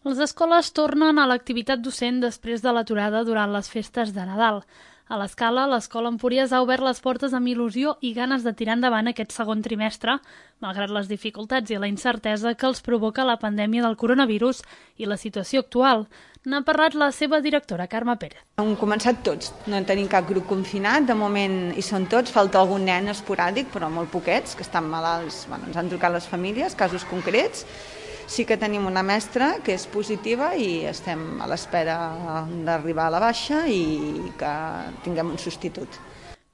Les escoles tornen a l'activitat docent després de l'aturada durant les festes de Nadal. A l'Escala, l'Escola Empúries ha obert les portes amb il·lusió i ganes de tirar endavant aquest segon trimestre, malgrat les dificultats i la incertesa que els provoca la pandèmia del coronavirus i la situació actual. N'ha parlat la seva directora, Carme Pérez. Hem començat tots, no en tenim cap grup confinat, de moment hi són tots, falta algun nen esporàdic, però molt poquets, que estan malalts, ens han trucat les famílies, casos concrets. Sí que tenim una mestra que és positiva i estem a l'espera d'arribar a la baixa i que tinguem un substitut.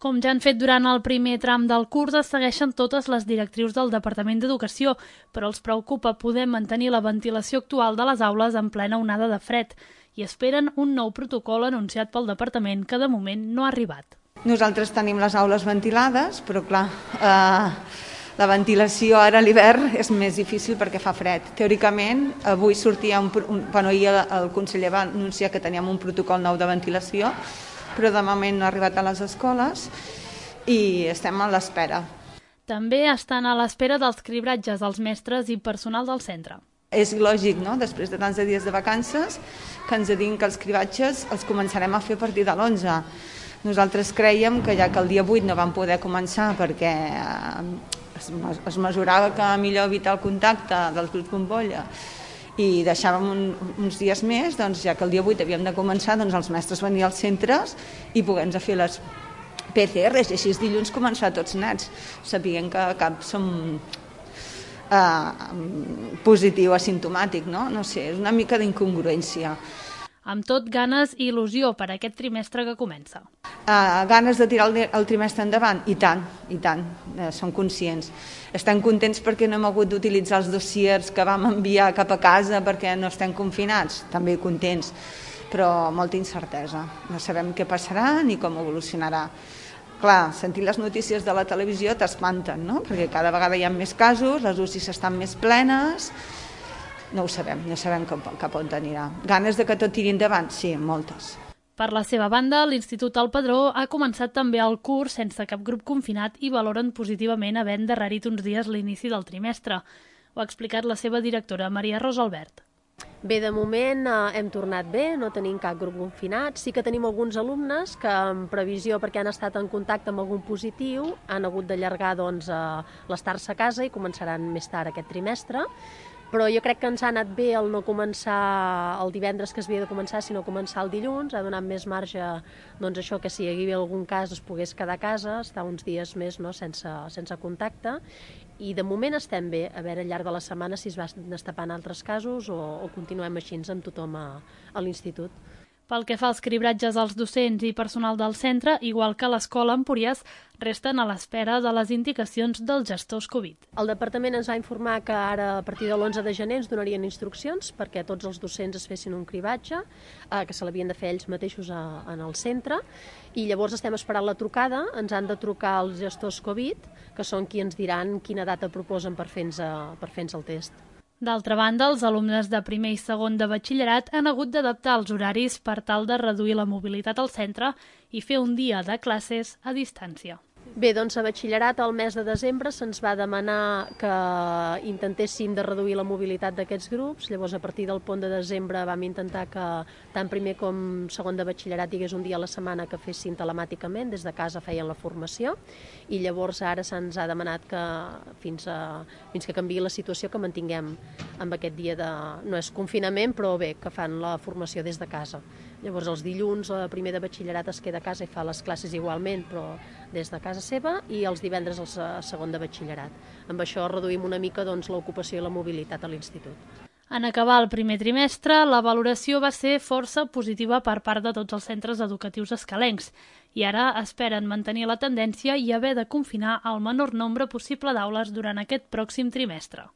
Com ja han fet durant el primer tram del curs, es segueixen totes les directrius del Departament d'Educació, però els preocupa poder mantenir la ventilació actual de les aules en plena onada de fred i esperen un nou protocol anunciat pel Departament que de moment no ha arribat. Nosaltres tenim les aules ventilades, però clar, la ventilació ara a l'hivern és més difícil perquè fa fred. Teòricament, avui sortia ahir el conseller va anunciar que teníem un protocol nou de ventilació, però de moment no ha arribat a les escoles i estem a l'espera. També estan a l'espera dels cribratges dels mestres i personal del centre. És lògic, no?, després de tants dies de vacances, que ens diguin que els cribratges els començarem a fer a partir de l'11. Nosaltres creiem que ja que el dia 8 no vam poder començar perquè es mesurava que millor evitar el contacte dels grups bombolla i deixàvem uns dies més, doncs ja que el dia 8 havíem de començar, doncs els mestres venir als centres i poder-nos fer les PCRs i així dilluns començar tots nets, sabent que cap som positiu, asimptomàtic, no? No sé, és una mica d'incongruència. Amb tot, ganes i il·lusió per aquest trimestre que comença. Ganes de tirar el trimestre endavant? I tant, som conscients. Estem contents perquè no hem hagut d'utilitzar els dossiers que vam enviar cap a casa perquè no estem confinats, també contents, però molta incertesa. No sabem què passarà ni com evolucionarà. Clar, sentir les notícies de la televisió t'espanten, no? Perquè cada vegada hi ha més casos, les UCIs estan més plenes. No ho sabem, no sabem cap on anirà. Ganes de que tot tiri endavant? Sí, moltes. Per la seva banda, l'Institut El Padró ha començat també el curs sense cap grup confinat i valoren positivament haver endarrerit uns dies l'inici del trimestre. Ho ha explicat la seva directora, Maria Rosa Albert. Bé, de moment hem tornat bé, no tenim cap grup confinat. Sí que tenim alguns alumnes que, en previsió perquè han estat en contacte amb algun positiu, han hagut d'allargar l'estar-se a casa i començaran més tard aquest trimestre. Però jo crec que ens ha anat bé el no començar el divendres que es havia de començar, sinó començar el dilluns, ha donat més marge, doncs això, que si hi havia algun cas es pogués quedar a casa, estar uns dies més, no, sense contacte, i de moment estem bé, a veure al llarg de la setmana si es va destapant altres casos o continuem així amb tothom a l'institut. Pel que fa als cribratges als docents i personal del centre, igual que a l'Escola Empúries, resten a l'espera de les indicacions dels gestors Covid. El departament ens va informar que ara, a partir de l'11 de gener, ens donarien instruccions perquè tots els docents es fessin un cribatge, que se l'havien de fer ells mateixos en el centre, i llavors estem esperant la trucada, ens han de trucar els gestors Covid, que són qui ens diran quina data proposen per fer-nos el test. D'altra banda, els alumnes de primer i segon de batxillerat han hagut d'adaptar els horaris per tal de reduir la mobilitat al centre i fer un dia de classes a distància. Bé, doncs a batxillerat el mes de desembre se'ns va demanar que intentéssim de reduir la mobilitat d'aquests grups, llavors a partir del pont de desembre vam intentar que tant primer com segon de batxillerat hi hagués un dia a la setmana que fessin telemàticament, des de casa feien la formació, i llavors ara se'ns ha demanat que fins que canviï la situació que mantinguem amb aquest dia de, no és confinament, però bé, que fan la formació des de casa. Llavors els dilluns el primer de batxillerat es queda a casa i fa les classes igualment, però des de casa seva, i els divendres el segon de batxillerat. Amb això reduïm una mica l'ocupació i la mobilitat a l'institut. En acabar el primer trimestre, la valoració va ser força positiva per part de tots els centres educatius escalencs i ara esperen mantenir la tendència i haver de confinar el menor nombre possible d'aules durant aquest pròxim trimestre.